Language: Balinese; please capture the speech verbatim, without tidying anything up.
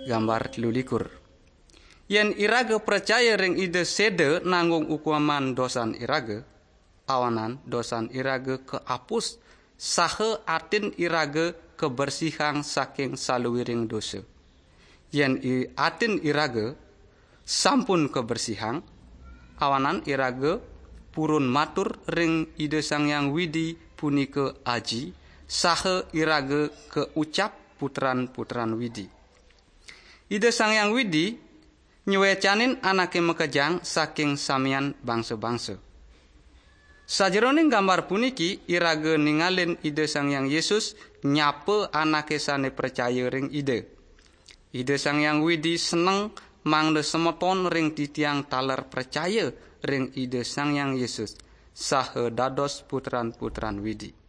Gambar telu likur. Yen iraga percaya ring Ida seda nanggung hukuman dosan iraga, awanan dosan iraga keapus, saha atin iraga kebersihang saking saluiring dosa. Yen i atin iraga sampun kebersihang, awanan iraga purun matur ring Ida Sang Hyang Widi punika Aji, saha iraga keucap putran-putran Widi. Ida Sang Hyang Widi nywecanin anake makejang saking samian bangsa-bangsa. Sajeroning gambar puniki iraga ningalin Ida Sang Hyang Yesus nyapa anake sane pracaya ring Ida. Ida Sang Hyang Widi seneng mangda semeton ring titiang taler pracaya ring Ida Sang Hyang Yesus, saha dados putran-putran Widi.